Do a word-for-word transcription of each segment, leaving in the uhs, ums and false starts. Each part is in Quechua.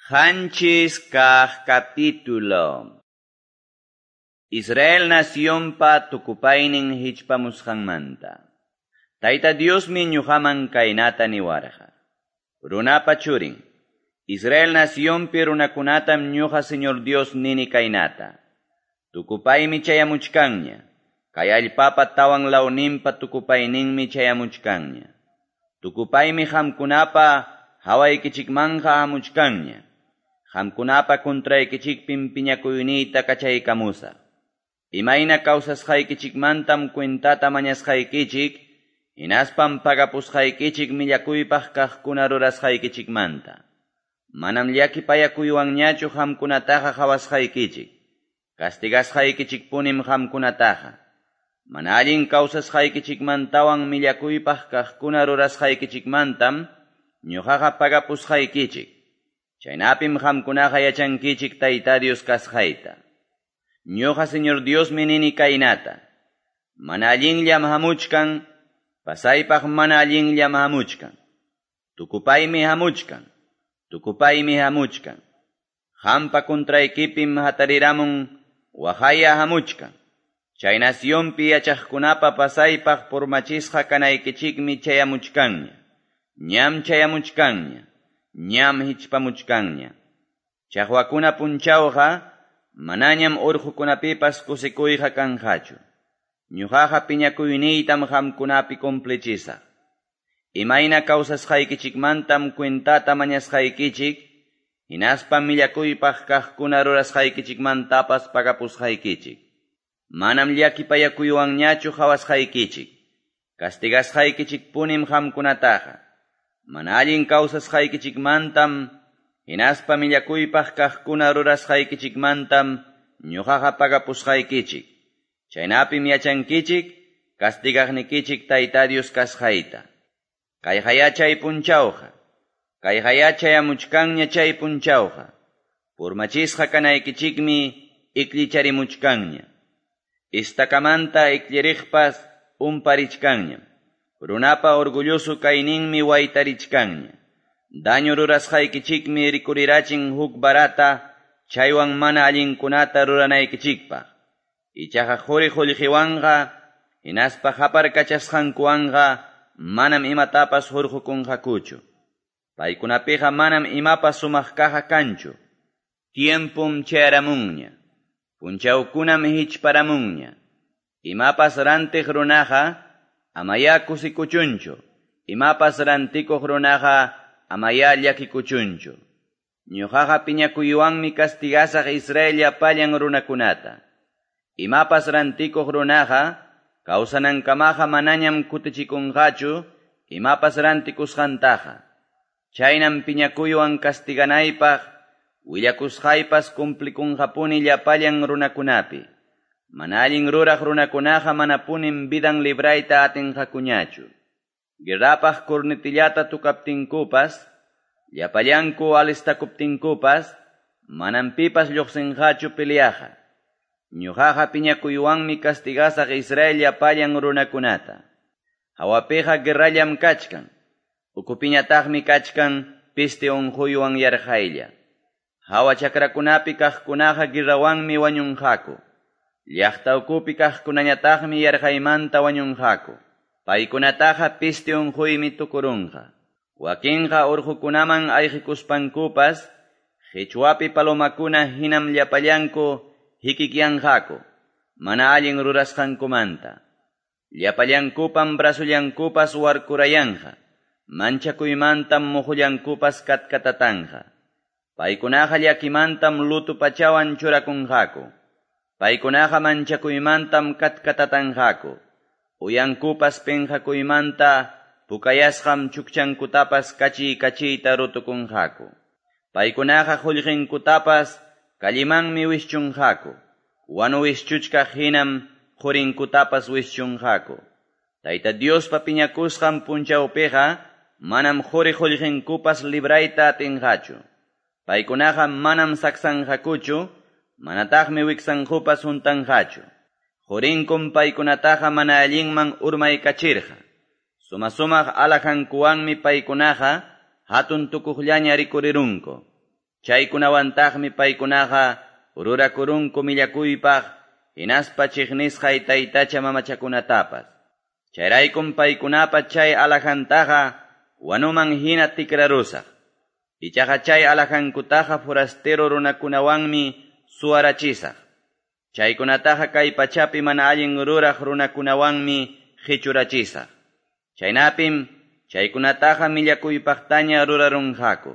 Qanchis kaq capítulo. Israel nacionpa tukupaynin hichpamusqanmanta. Tayta Diosmi ñuqaman kaynata niwarqa. Runapa churin, Israel nacionpi runakunatam ñuqa Señor Dios nini kaynata. Tukupaymi chayamuchkanña. Kay allpapa tawan lawninpa tukupayninmi chayamuchkanña. Tukupaymi qamkunapa hawaykichikmanja hamuchkanña. Qamkunapa contraykichikpim piñakuyniyta kachaykamusaq. Imayna kawsasqaykichikmantam cuentata mañasqaykichik, hinaspam pagapusqaykichik millakuypaq kaqkuna rurasqaykichikmanta. Manam llakipayakuywanñachu qamkunataqa qhawasqaykichik. Castigasqaykichikpunim qamkunataqa. Mana allin kawsasqaykichikmantawan millakuypaq kaqkuna rurasqaykichikmantam ñuqaqa pagapusqaykichik. Chaynapim qamkunaqa yachankichik Tayta Dios kasqayta. Ñuqa Señor Diosmi nini kaynata. Mana allinllam hamuchkan, pasaypaq mana allinllam hamuchkan. Tukupaymi hamuchkan, tukupaymi hamuchkan. Qampa contraykipim hatariramun waqaya hamuchkan. Chay nacionpi yachaqkunapa pasaypaq purmachisqa kanaykichikmi chayamuchkanña. Ñam chayamuchkanña. Ñam hichpamuchkanña. Chaqwakuna punchawqa manañam urqukunapipas kusikuyqa kanqachu. Ñuqaqa piñakuyniytam qamkunapi cumplichisaq. Imayna kawsasqaykichikmantam cuentata mañasqaykichik, hinaspam millakuypaq kaqkuna rurasqaykichikmantapas pagapusqaykichik. Manam llakipayakuywanñachu qhawasqaykichik. Castigasqaykichikpunim qamkunataqa. Mana allin kawsasqaykichikmantam, hinaspa millakuypaq kaqkuna rurasqaykichikmantam ñuqaqa pagapusqaykichik. Chaynapim yachankichik, castigaqnikichik Tayta Dios kasqayta. Kayqaya chay punchawqa, kayqaya chayamuchkanña chay punchawqa. Purmachisqa kanaykichikmi iklicharimuchkanña. Istakamanta ikliriqpas umparichkanñam. Runapa orgulloso kayninmi waytarichkanña. Daño rurasqaykichikmi rikurirachin huk barata, chaywan mana allinkunata ruranaykichikpaq. Ichaqa quri qullqiwanqa, hinaspa qaparkachasqankuwanqa, manam imatapas hurqukunqakuchu. Paykunapiqa manam imapas sumaq kaqa kanchu. Tiempum chayaramunña. Punchawkunam hichparamunña. Imapas rantiq runaqa, amaya kusikuchunchu. Imapas rantikuq runaqa, amaya llakikuchunchu. Ñuqaqa piñakuywanmi castigasaq Israel llapallan runakunata. Imapas rantikuq runaqa, kawsanankamaqa manañam kutichikunqachu, imapas rantikusqantaqa. Chaynam piñakuywan castiganaypaq, willakusqaypas cumplikunqapuni llapallan runakunapi. Mana allin ruraq runakunaqa manapunim vidan librayta atinqakuñachu. Guerrapaq cornetillata tukaptinkupas, llapallanku alistakuptinkupas, manam pipas lluqsinqachu peleaqa. Ñuqaqa piñakuywanmi castigasaq Israel llapallan runakunata. Hawapiqa guerrallam kachkan, ukupiñataqmi kachkan piste unquywan yarqaylla. Hawa chakrakunapi kaqkunaqa guerrawanmi wañunqaku. Llaqta ukupi kaqkunañataqmi yarqaymanta wañunqaku. Paykunataqa piste unquymi tukurunqa. Wakinqa urqukunaman ayqikuspankupas, qichwapi palomakuna hinam llapallanku hikikyanqaku, mana allin rurasqankumanta. Llapallankupam brasullankupas warkurayanqa, manchakuymantam muhullankupas katkatatanqa. Paykunaqa llakimantam lutu pachawan churakunqaku. Paykunaqa manchakuymantam katkatatanqaku. Uyankupas pinqakuymanta pukayasqam chukchankutapas kachiy kachiyta rutukunqaku. Paykunaqa qullqinkutapas kallimanmi wischunqaku. Wanu wischuchkaq hinam qurinkutapas wischunqaku. Tayta Diospa piñakusqan punchawpiqa manam quri qullqinkupas librayta atinqachu. Paykunaqa manam saksanqakuchu, manataqmi wiksankupas huntanqachu. Qurinkum paykunataqa mana allinman urmaykachirqa. Suma sumaq alajankuwanmi paykunaqa hatun tukuqllaña rikurirunku. Chaykunawantaqmi paykunaqa rurakurunku millakuypaq hinaspa chiqnisqay taytacha mamachakunatapas. Chayraykum paykunapa chay alhajantaqa wanuman hina tikrarusaq. Ichaqa chay alhajankutaqa forastero runakunawanmi suwarachisaq. Chaykunataqa kay pachapi mana allin ruraq runakunawanmi qichurachisaq. Chaynapim chaykunataqa millakuypaqtaña rurarunqaku.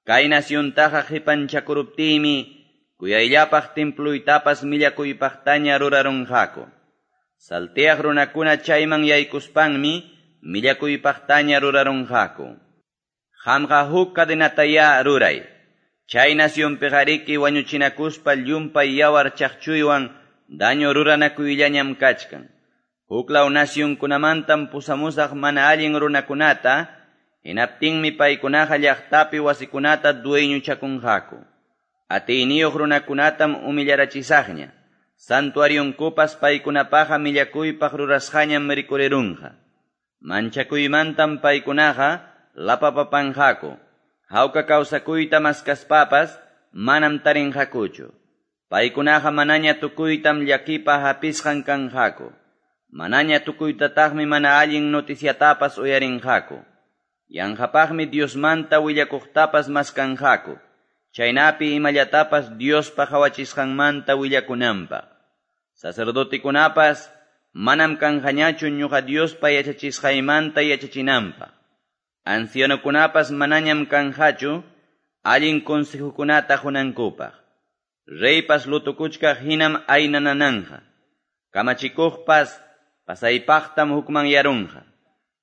Kay naciontaqa qipanchakuruptiymi kuyayllapaq templuytapas millakuypaqtaña rurarunqaku. Salteaq runakuna chayman yaykuspanmi millakuypaqtaña rurarunqaku. Qamqa huk cadenatayá ruray. Chay nacionpiqariki wañuchinakuspa llumpay yawar chaqchuywan daño ruranakuyllañam kachkan. Huklaw nacionkunamantam pusamusaq mana allin runakunata, hinaptinmi paykunaqa llaqtapi wasikunata dueñochakunqaku. Atiyniyuq runakunatam humillarachisaqña. Santuarionkupas paykunapaqa millakuypaq rurasqañam rikurirunqa. Manchakuymantam paykunaqa lapapapanqaku. Hawka kawsakuyta maskaspapas manam tarinqakuchu. Paykunaqa manaña tukuytam llakipa hapisqan kanqaku. Manaña tukuytataqmi mana allin noticiatapas uyarinqaku. Yanqapaqmi Diosmanta willakuqtapas maskanqaku. Chaynapi imallatapas Diospa qawachisqanmanta willakunanpaq. Sacerdotikunapas manam kanqañachu ñuqa Diospa yachachisqaymanta yachachinanpaq. Ancianokunapas manañam kanqachu allin consejokunata qunankupaq. Reypas lutukuchkaq hinam aynanananqa. Kamachikuqpas pasaypaqtam hukmanyarunqa.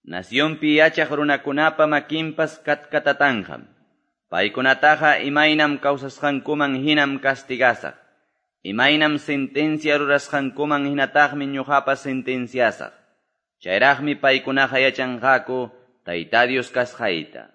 Nacionpi yachaq runakunapa makinpas katkatatanqam. Paykunataqa imaynam kawsasqankuman hinam castigasaq. Imaynam sentencia rurasqankuman hinataqmi ñuqapas sentenciasaq. Chayraqmi paykunaqa yachanqaku Tayta Dios kasqayta.